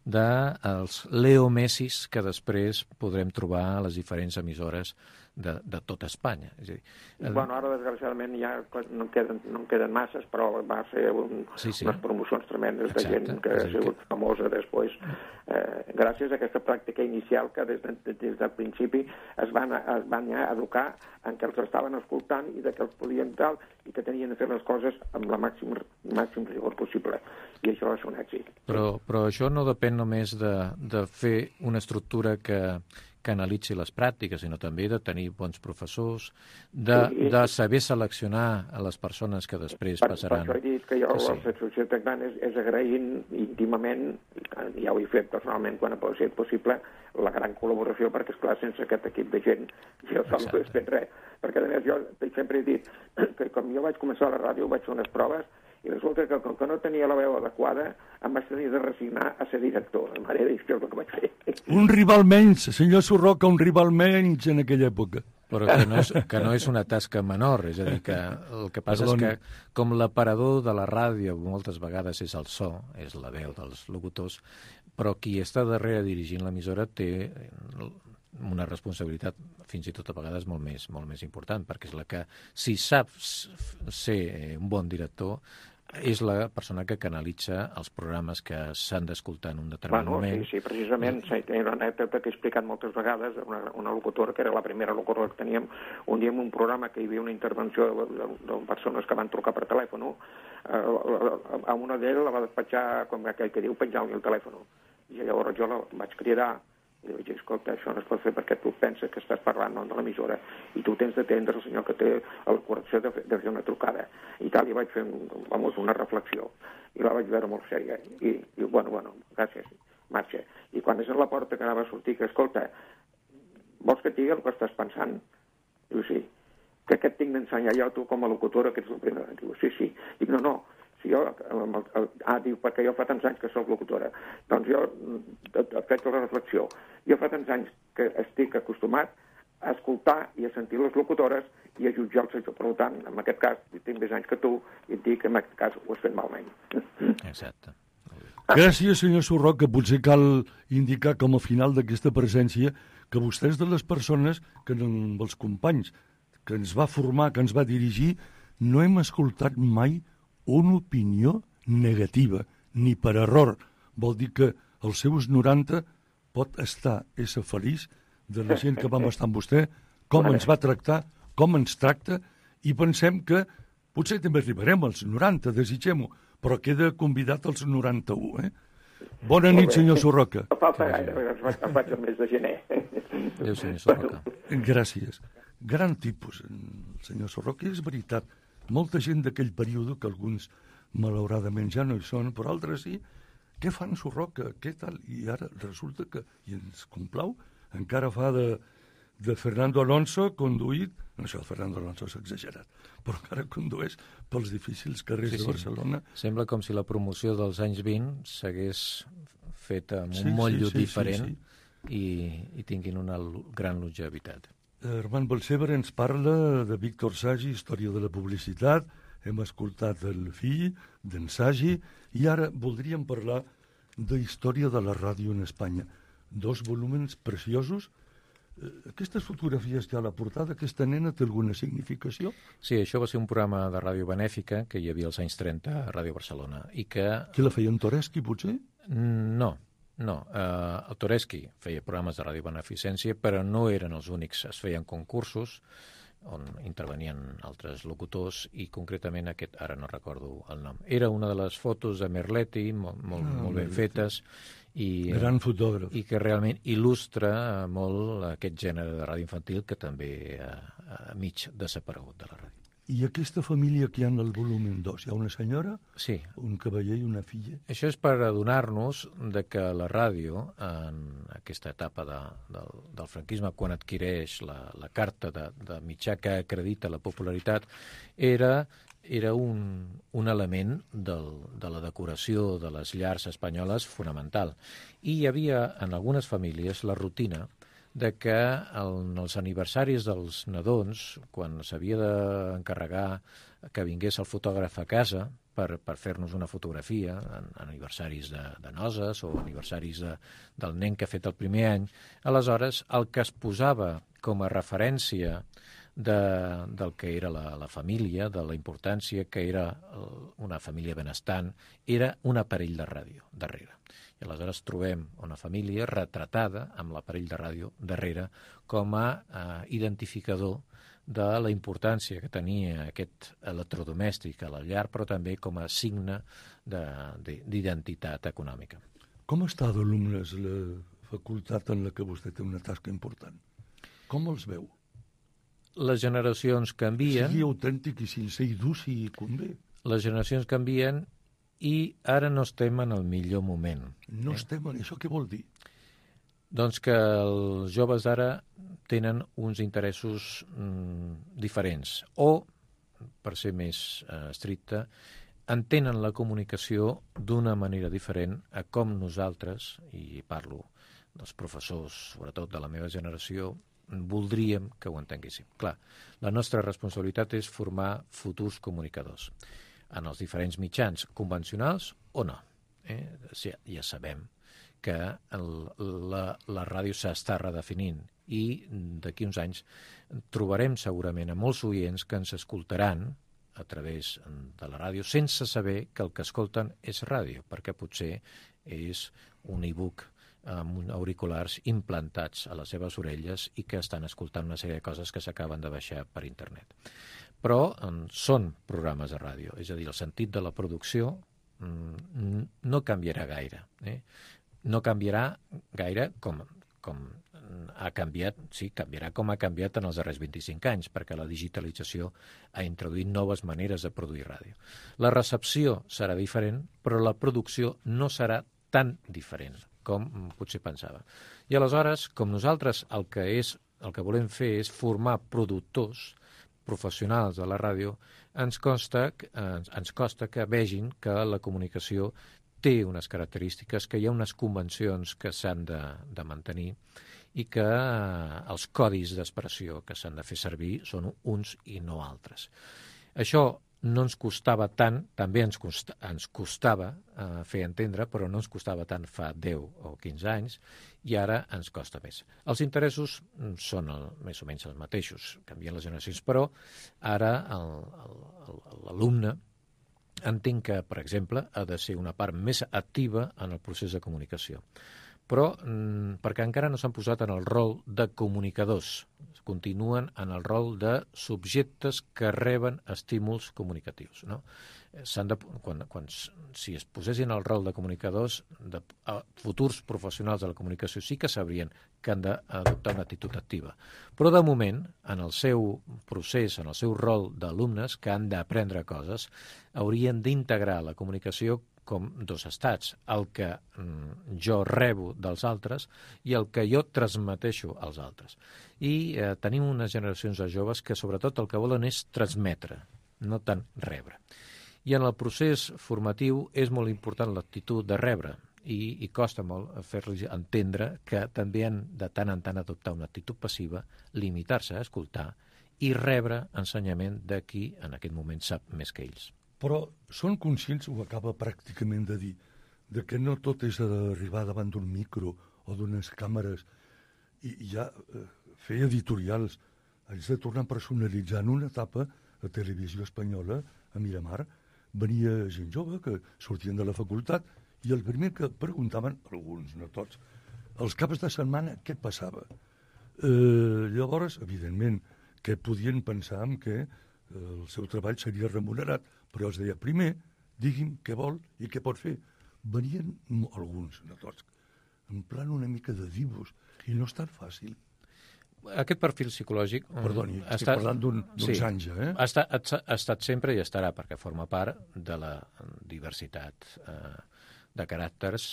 dels Leo Messis que després podrem trobar a les diferents emissores de, de tota Espanya. És a dir, eh... Bueno, ara, desgraciadament, ja no en queden, no en queden masses, però va ser un, sí, sí. unes promocions tremendes. Exacte. De gent que ha sigut que... famosa després. Eh, gràcies a aquesta pràctica inicial que des, de, des del principi es van, es van ja educar en què els estaven escoltant i de què els podien tal i que tenien de fer les coses amb la màxim, màxim rigor possible. I això va ser un èxit. Però, però això no depèn només de, de fer una estructura que, que analitzi les pràctiques, sinó també de tenir bons professors, de, sí, de saber seleccionar a les persones que després per, passaran. Per això he dit que jo sí. La societat gran és, és agraint íntimament, ja ho he fet personalment quan ha sigut possible, la gran col·laboració, perquè, esclar, sense aquest equip de gent jo sol no he fet res. Perquè, a més, jo sempre he dit que com jo vaig començar a la ràdio vaig fer unes proves i resulta que com que no tenia la veu adequada em vaig tenir de resignar a ser director. La manera és el que vaig fer. Un rival menys, senyor Surroca, un rival menys en aquella època. Però que no és, que no és una tasca menor, és a dir, que el que passa Perdoni. és que com l'aparador de la ràdio moltes vegades és el so, és la veu dels locutors, però qui està darrere dirigint l'emissora té una responsabilitat fins i tot a vegades molt més, molt més important, perquè és la que, si sap ser un bon director, és la persona que canalitza els programes que s'han d'escoltar en un determinat bueno, moment. Sí, sí, precisament, sí, hi ha una anècdota que he explicat moltes vegades, una, una locutora, que era la primera locutora que teníem, un dia en un programa que hi havia una intervenció de, de, de persones que van trucar per telèfon, eh, a una d'elles la va despatxar, com aquell que diu, penjar-li el telèfon. I llavors jo la vaig cridar, i vaig dir, escolta, això no es pot fer perquè tu penses que estàs parlant no, de l'emissora i tu tens d'atendre el senyor que té la correcció de fer, de fer una trucada. I tal, i vaig fer vamos, una reflexió. I la vaig veure molt sèria. I, i bueno, bueno, gràcies, marxa. I quan és a la porta que anava a sortir, que escolta, vols que et digui el que estàs pensant? Diu, sí. Que què et tinc d'ensenyar jo, tu, com a locutora, que ets la primera? Diu, sí, sí. Dic, no, no. Si jo, ah, diu, perquè jo fa tants anys que soc locutora. Doncs jo he fet la reflexió. Jo fa tants anys que estic acostumat a escoltar i a sentir les locutores i a jutjar el sector. Per tant, en aquest cas, tinc més anys que tu i et dic que en aquest cas ho has fet malament. Exacte. Gràcies, senyor Surroca. Potser cal indicar com a final d'aquesta presència que vostè és de les persones que amb els companys que ens va formar, que ens va dirigir, no hem escoltat mai una opinió negativa, ni per error. Vol dir que als seus noranta pot estar, ésser feliç de la gent que vam estar amb vostè, com ens va tractar, com ens tracta, i pensem que potser també arribarem als noranta, desitgem-ho, però queda convidat als noranta-u, eh? Bona nit, senyor Surroca. No falta gaire, em faig el mes de gener. Adéu, senyor Surroca. Gràcies. Gran tipus, el senyor Surroca, és veritat. Molta gent d'aquell període, que alguns malauradament ja no hi són, però altres sí, què fan Surroca, què tal? I ara resulta que, i ens complau, encara fa de, de Fernando Alonso conduït, no, això el Fernando Alonso és exagerat, però encara condueix pels difícils carrers sí, de Barcelona. Sí. Sembla com si la promoció dels anys vint s'hagués fet amb un sí, motllo sí, sí, diferent. Sí, sí. i, i tinguin una gran longevitat. Armand Balsebre ens parla de Víctor Sagi, història de la publicitat, hem escoltat el fill d'en Sagi i ara voldríem parlar de història de la ràdio en Espanya. Dos volúmens preciosos. Aquestes fotografies que hi ha a la portada, aquesta nena té alguna significació? Sí, això va ser un programa de ràdio benèfica que hi havia als anys trenta a Ràdio Barcelona i que... Qui la feia, en Toreschi, potser? No, no. Uh, el Toreschi feia programes de ràdio beneficència, però no eren els únics. Es feien concursos on intervenien altres locutors i concretament aquest, ara no recordo el nom. Era una de les fotos de Merletti, molt, molt, ah, molt ben fetes, i, gran fotògraf. I que realment il·lustra molt aquest gènere de ràdio infantil que també ha, ha mig desaparegut de la ràdio. I aquesta família que hi ha en el volum dos, hi ha una senyora, sí, un cavaller i una filla? Això és per adonar-nos de que la ràdio, en aquesta etapa de, del, del franquisme, quan adquireix la, la carta de, de mitjà que acredita la popularitat, era, era un, un element del, de la decoració de les llars espanyoles fonamental. I hi havia en algunes famílies la rutina de que en els aniversaris dels nadons, quan s'havia d'encarregar que vingués el fotògraf a casa per, per fer-nos una fotografia, en, en aniversaris de, de noces o aniversaris de, del nen que ha fet el primer any, aleshores el que es posava com a referència de, del que era la, la família, de la importància que era una família benestant, era un aparell de ràdio darrere. I aleshores trobem una família retratada amb l'aparell de ràdio darrere com a eh, identificador de la importància que tenia aquest electrodomèstic a la llar, però també com a signe d'identitat econòmica. Com està d'alumnes la facultat en la que vostè té una tasca important? Com els veu? Les generacions canvien. Sigui autèntic i sincer i dur si convé. Les generacions canvien i ara no estem en el millor moment. No eh? estem en això, què vol dir? Doncs que els joves d'ara tenen uns interessos mm, diferents o, per ser més eh, estricte, entenen la comunicació d'una manera diferent a com nosaltres, i parlo dels professors, sobretot de la meva generació, voldríem que ho entenguéssim. Clar, la nostra responsabilitat és formar futurs comunicadors en els diferents mitjans, convencionals o no. Eh? Ja, ja sabem que el, la, la ràdio s'està redefinint i d'aquí uns anys trobarem segurament a molts oients que ens escoltaran a través de la ràdio sense saber que el que escolten és ràdio, perquè potser és un e-book amb auriculars implantats a les seves orelles i que estan escoltant una sèrie de coses que s'acaben de baixar per internet. Però en, són programes de ràdio, és a dir, el sentit de la producció mm, no canviarà gaire. Eh? No canviarà gaire com, com ha canviat, sí, canviarà com ha canviat en els darrers vint-i-cinc anys, perquè la digitalització ha introduït noves maneres de produir ràdio. La recepció serà diferent, però la producció no serà tan diferent com potser pensava. I aleshores, com nosaltres el que, és, el que volem fer és formar productors professionals de la ràdio, ens costa, ens, ens costa que vegin que la comunicació té unes característiques, que hi ha unes convencions que s'han de, de mantenir i que eh, els codis d'expressió que s'han de fer servir són uns i no altres. Això no ens costava tant, també ens, costa, ens costava eh, fer entendre, però no ens costava tant fa deu o quinze anys, i ara ens costa més. Els interessos són el, més o menys els mateixos, canvien les generacions, però ara l'alumne entenc que, per exemple, ha de ser una part més activa en el procés de comunicació. Però mm, perquè encara no s'han posat en el rol de comunicadors, continuen en el rol de subjectes que reben estímuls comunicatius. No? S'han de, quan, quan, si es posessin el rol de comunicadors, de a, futurs professionals de la comunicació sí que sabrien que han d'adoptar una actitud activa. Però de moment, en el seu procés, en el seu rol d'alumnes que han d'aprendre coses, haurien d'integrar la comunicació com dos estats, el que mm, jo rebo dels altres i el que jo transmeteixo als altres. I eh, tenim unes generacions de joves que sobretot el que volen és transmetre, no tant rebre. I en el procés formatiu és molt important l'actitud de rebre i, i costa molt fer-los entendre que també han de tant en tant adoptar una actitud passiva, limitar-se a escoltar i rebre ensenyament de qui en aquest moment sap més que ells. Però són conscients, ho acaba pràcticament de dir, de que no tot és arribar davant d'un micro o d'unes càmeres i, i ja eh, fer editorials. Haig de tornar a personalitzar. En una etapa a Televisió Espanyola, a Miramar, venia gent jove que sortien de la facultat i el primer que preguntaven, alguns, no tots, els caps de setmana què passava. Eh, llavors, evidentment, que podien pensar en que eh, el seu treball seria remunerat, però els deia, primer, digui'm què vol i què pot fer. Venien alguns, no tots, en plan una mica de divos, i no és tan fàcil. Aquest perfil psicològic... Perdoni, estic estat, parlant d'uns un, sí, anys, eh? Ha estat, ha estat sempre i estarà, perquè forma part de la diversitat eh, de caràcters.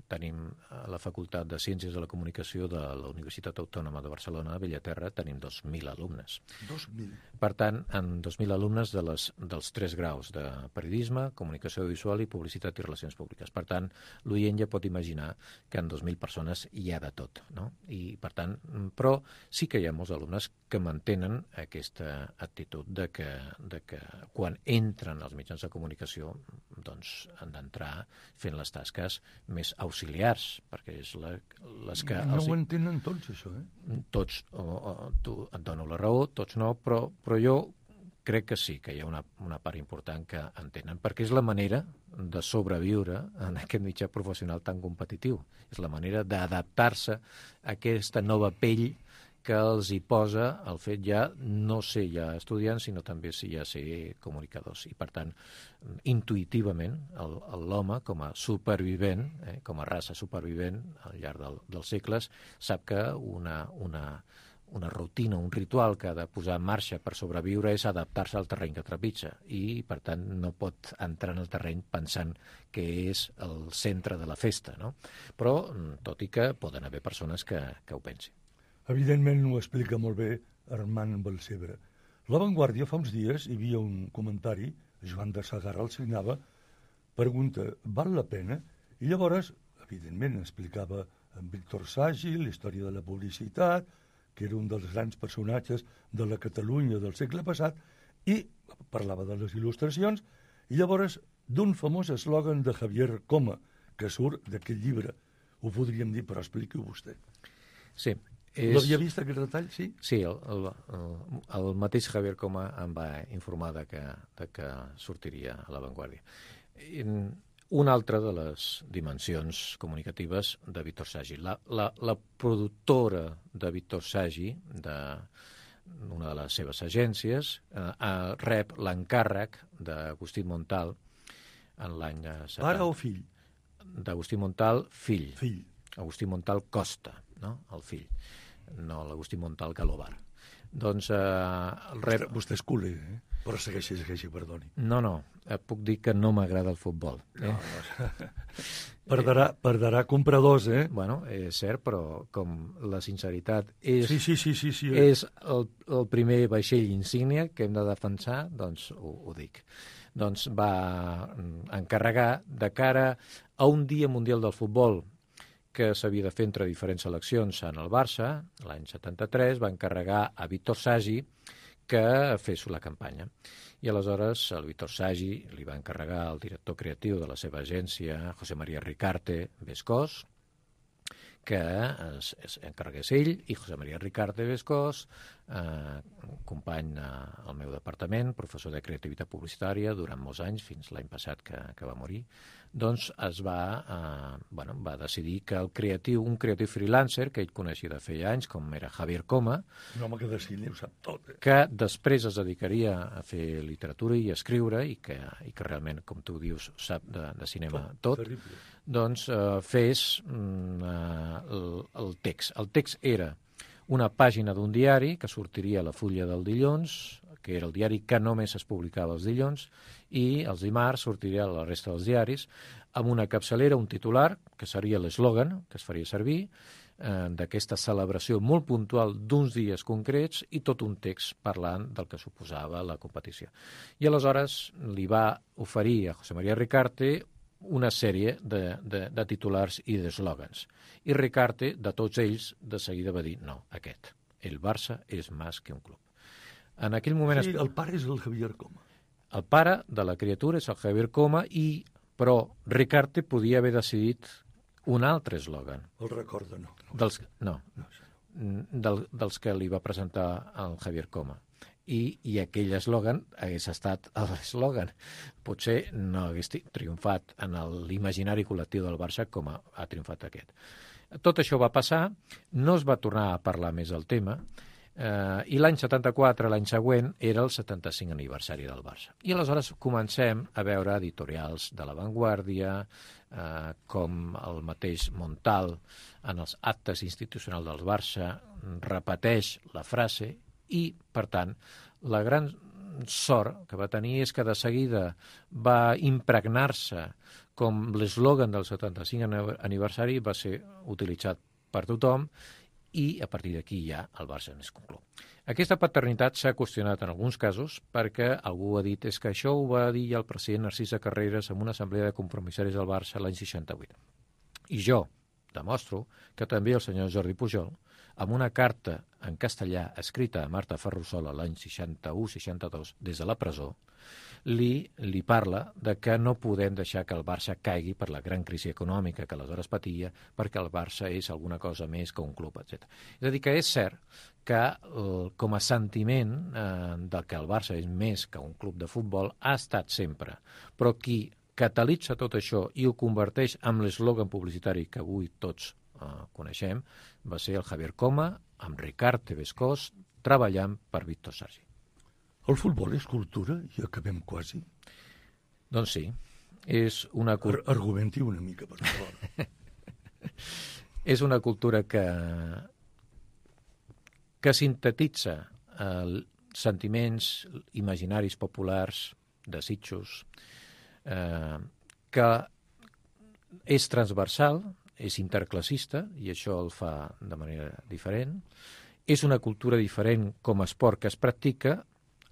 Tenim a la Facultat de Ciències de la Comunicació de la Universitat Autònoma de Barcelona, a Bellaterra, tenim dos mil alumnes. dos mil. Per tant, en dos mil alumnes de les, dels tres graus de periodisme, comunicació audiovisual i publicitat i relacions públiques. Per tant, l'oient ja pot imaginar que en dos mil persones hi ha de tot, no? I, per tant, però sí que hi ha molts alumnes que mantenen aquesta actitud de que, de que quan entren als mitjans de comunicació doncs han d'entrar fent les tasques més auxiliars, perquè és la, les que... No els... ho entenen tots, això, eh? Tots, o, o, tu et dono la raó, tots no, però, però jo crec que sí, que hi ha una, una part important que entenen, perquè és la manera de sobreviure en aquest mitjà professional tan competitiu. És la manera d'adaptar-se a aquesta nova pell que els hi posa el fet ja no ser ja estudiants, sinó també si ja ser comunicadors. I, per tant, intuïtivament, l'home, com a supervivent, eh, com a raça supervivent al llarg del, dels segles, sap que una, una, una rutina, un ritual que ha de posar en marxa per sobreviure és adaptar-se al terreny que trepitja i, per tant, no pot entrar en el terreny pensant que és el centre de la festa, no? Però, tot i que poden haver persones que, que ho pensin. Evidentment ho explica molt bé Armand Balcebre. La Vanguardia fa uns dies hi havia un comentari, Joan de Sagarra el signava, pregunta, val la pena? I llavors, evidentment, explicava en Víctor Sagi la història de la publicitat, que era un dels grans personatges de la Catalunya del segle passat, i parlava de les il·lustracions, i llavors d'un famós eslògan de Javier Coma, que surt d'aquest llibre. Ho podríem dir, però expliqui-ho vostè. Sí. És... L'havia vist aquest detall, sí? Sí, el, el, el, el mateix Javier Coma em va informar de que, de que sortiria a La Vanguardia. Una altra de les dimensions comunicatives de Víctor Sagi. La, la, la productora de Víctor Sagi, de una de les seves agències, eh, rep l'encàrrec d'Agustí Montal en l'any setanta. Pare o fill? D'Agustí Montal, fill. Fill. Agustí Montal Costa, no? El fill. No l'Agustí Montal Galobar. Doncs... Eh, el rep... Vostè, vostè és culer, eh? Però segueixi, segueixi, perdoni. No, no, eh, puc dir que no m'agrada el futbol. Eh? No, no. Perderà, perderà compradors, eh? Bueno, és cert, però com la sinceritat és, sí, sí, sí, sí, sí. és el, el primer vaixell insígnia que hem de defensar, doncs ho, ho dic. Doncs va encarregar de cara a un dia mundial del futbol que s'havia de fer entre diferents seleccions en el Barça, l'any setanta-tres, va encarregar a Víctor Sagi que fes la campanya. I aleshores el Víctor Sagi li va encarregar al director creatiu de la seva agència, José María Ricarte Bescós, que es, es encarregués ell, i José María Ricarte Bescós, eh, company al meu departament, professor de creativitat publicitària durant molts anys, fins l'any passat que, que va morir, doncs es va, eh, bueno, va decidir que el creatiu, un creatiu freelancer que ell coneixia de feia anys, com era Javier Coma, un home que de cine ho sap tot, eh? que després es dedicaria a fer literatura i a escriure, i que, i que realment, com tu dius, sap de, de cinema tot, tot doncs eh, fes mm, eh, el, el text. El text era una pàgina d'un diari que sortiria a la Fulla del dilluns, que era el diari que només es publicava els dilluns, i els dimarts sortiria a la resta dels diaris, amb una capçalera, un titular, que seria l'eslògan que es faria servir, eh, d'aquesta celebració molt puntual d'uns dies concrets, i tot un text parlant del que suposava la competició. I aleshores li va oferir a José María Ricarte una sèrie de, de, de titulars i d'eslògans. I Ricarte, de tots ells, de seguida va dir, no, aquest, el Barça és més que un club. En aquell moment... Sí, el pare és el Javier Coma. El pare de la criatura és el Javier Coma, i, però Ricarte podia haver decidit un altre eslògan. El recorda, no. no. Dels, no, no del, dels que li va presentar el Javier Coma. I, i aquell eslògan hagués estat l'eslògan. Potser no hagués triomfat en l'imaginari col·lectiu del Barça com ha, ha triomfat aquest. Tot això va passar, no es va tornar a parlar més del tema, eh, i l'any setanta-quatre, l'any següent, era el setanta-cinc aniversari del Barça. I aleshores comencem a veure editorials de La Vanguardia, eh, com el mateix Montal, en els actes institucionals del Barça, repeteix la frase. I, per tant, la gran sort que va tenir és que de seguida va impregnar-se com l'eslògan del setanta-cinc aniversari, va ser utilitzat per tothom, i a partir d'aquí ja el Barça n'és conclu. Aquesta paternitat s'ha qüestionat en alguns casos perquè algú ha dit és que això ho va dir el president Narcís de Carreras en una assemblea de compromissaris del Barça l'any seixanta-vuit. I jo demostro que també el senyor Jordi Pujol, amb una carta en castellà escrita a Marta Ferrusola l'any seixanta-u seixanta-dos des de la presó, li, li parla de que no podem deixar que el Barça caigui per la gran crisi econòmica que aleshores patia, perquè el Barça és alguna cosa més que un club, etcètera. És a dir, que és cert que eh, com a sentiment eh, del que el Barça és més que un club de futbol ha estat sempre, però qui catalitza tot això i ho converteix en l'eslògan publicitari que avui tots Uh, coneixem, va ser el Javier Coma amb Ricard Tevescós treballant per Víctor Sargi. El futbol és cultura i acabem quasi? Doncs sí, és una cultura... Ar argumenti una mica, per favor. És una cultura que que sintetitza eh, sentiments imaginaris populars, desitjos, eh, que és transversal, és interclassista, i això el fa de manera diferent. És una cultura diferent com a esport que es practica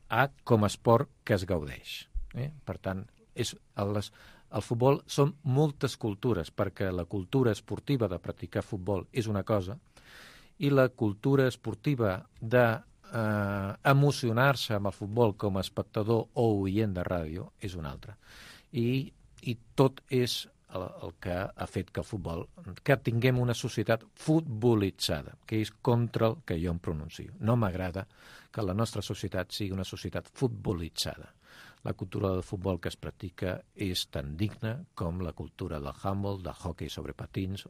a com a esport que es gaudeix. Eh? Per tant, és, el, el futbol són moltes cultures, perquè la cultura esportiva de practicar futbol és una cosa i la cultura esportiva de eh, emocionar-se amb el futbol com a espectador o oient de ràdio és una altra. I, i tot és el, el que ha fet que el futbol, que tinguem una societat futbolitzada, que és contra el que jo em pronuncio. No m'agrada que la nostra societat sigui una societat futbolitzada. La cultura del futbol que es practica és tan digna com la cultura del handball, del hockey sobre patins,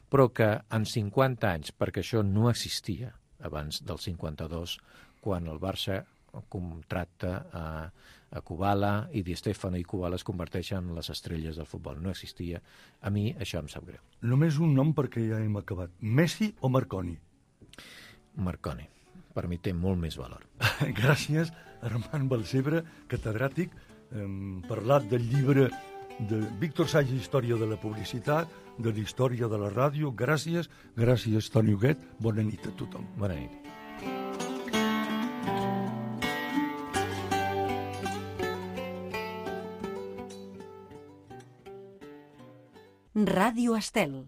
però que en cinquanta anys, perquè això no existia abans del cinquanta-dos, quan el Barça contracta a, a Kubala i Di Stefano i Kubala es converteixen en les estrelles del futbol. No existia. A mi això em sap greu. Només un nom perquè ja hem acabat. Messi o Marconi? Marconi. Per mi té molt més valor. Gràcies, Armand Balcebre, catedràtic. Hem parlat del llibre de Víctor Sargi, Història de la publicitat, de la història de la ràdio. Gràcies, gràcies, Toni Huguet. Bona nit a tothom. Bona nit. Ràdio Estel.